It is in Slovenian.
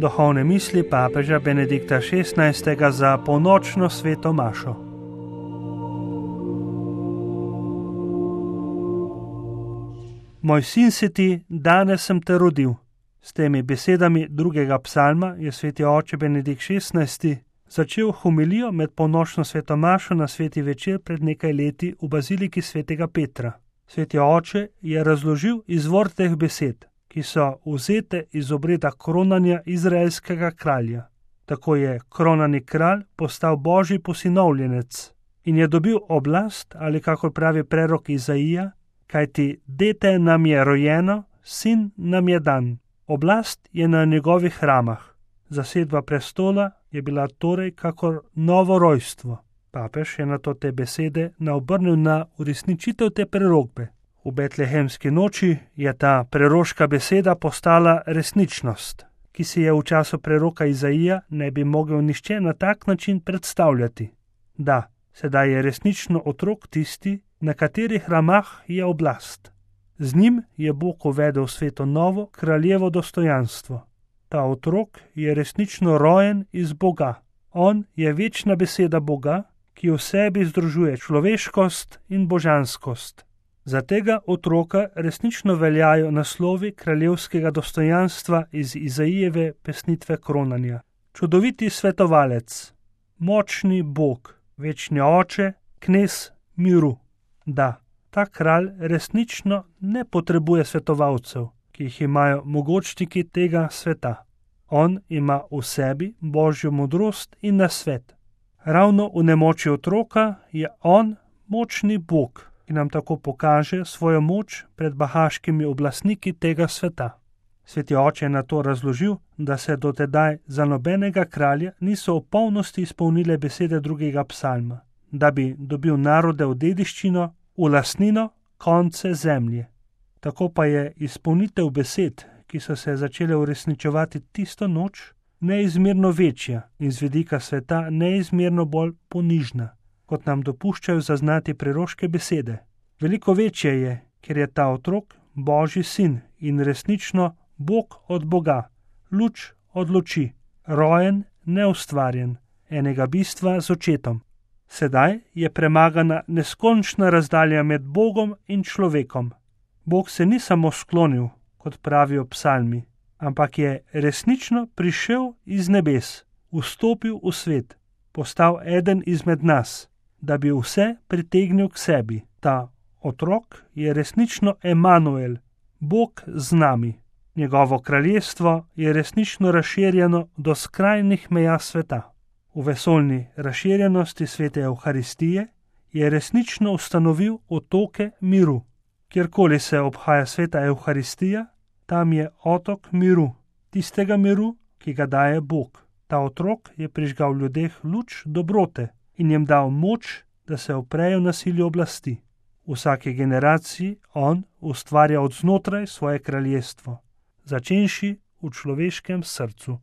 Duhovne misli papeža Benedikta XVI. Za polnočno sveto mašo. Moj sin si ti, danes sem te rodil. S temi besedami drugega psalma je sveti oče Benedikt XVI. Začel homilijo med polnočno sveto mašo na sveti večer pred nekaj leti v baziliki svetega Petra. Sveti oče je razložil izvor teh besed, ki so vzete iz obreda kronanja izraelskega kralja. Tako je kronani kralj postal božji posinovljenec in je dobil oblast, ali kakor pravi prerok Izaija, kajti dete nam je rojeno, sin nam je dan. Oblast je na njegovih ramah. Zasedba prestola je bila torej kakor novo rojstvo. Papež je nato te besede naobrnil na uresničitev te prerokbe. V betlehemski noči je ta preroška beseda postala resničnost, ki si je v času preroka Izaija ne bi mogel nihče na tak način predstavljati. Da, sedaj je resnično otrok tisti, na katerih ramah je oblast. Z njim je Bog uvedel sveto novo kraljevo dostojanstvo. Ta otrok je resnično rojen iz Boga. On je večna beseda Boga, ki v sebi združuje človeškost in božanskost. Za tega otroka resnično veljajo naslovi kraljevskega dostojanstva iz Izaijeve pesnitve kronanja. Čudoviti svetovalec, močni Bog, večni oče, knez miru. Da, ta kralj resnično ne potrebuje svetovalcev, ki jih imajo mogočniki tega sveta. On ima v sebi božjo modrost in nasvet. Ravno v nemoči otroka je on močni Bog, ki nam tako pokaže svojo moč pred bahaškimi oblastniki tega sveta. Sveti oče je na to razložil, da se dotedaj za nobenega kralja niso v polnosti izpolnile besede drugega psalma, da bi dobil narode v dediščino, v lastnino, konce zemlje. Tako pa je izpolnitev besed, ki so se začele uresničevati tisto noč, neizmerno večja in z vidika sveta neizmerno bolj ponižna, kot nam dopuščajo zaznati preroške besede. Veliko večje je, ker je ta otrok Božji sin in resnično Bog od Boga, luč od luči, rojen, neustvarjen, enega bistva z očetom. Sedaj je premagana neskončna razdalja med Bogom in človekom. Bog se ni samo sklonil, kot pravijo psalmi, ampak je resnično prišel iz nebes, vstopil v svet, postal eden izmed nas, da bi vse pritegnil k sebi. Ta otrok je resnično Emanuel, Bog z nami. Njegovo kraljestvo je resnično razširjeno do skrajnih meja sveta. V vesoljni razširjenosti svete Evharistije je resnično ustanovil otoke miru. Kjerkoli se obhaja sveta Evharistija, tam je otok miru, tistega miru, ki ga daje Bog. Ta otrok je prižgal v ljudeh luč dobrote in jim dal moč, da se uprejo nasilju oblasti. V vsaki generaciji on ustvarja od znotraj svoje kraljestvo, začenši v človeškem srcu.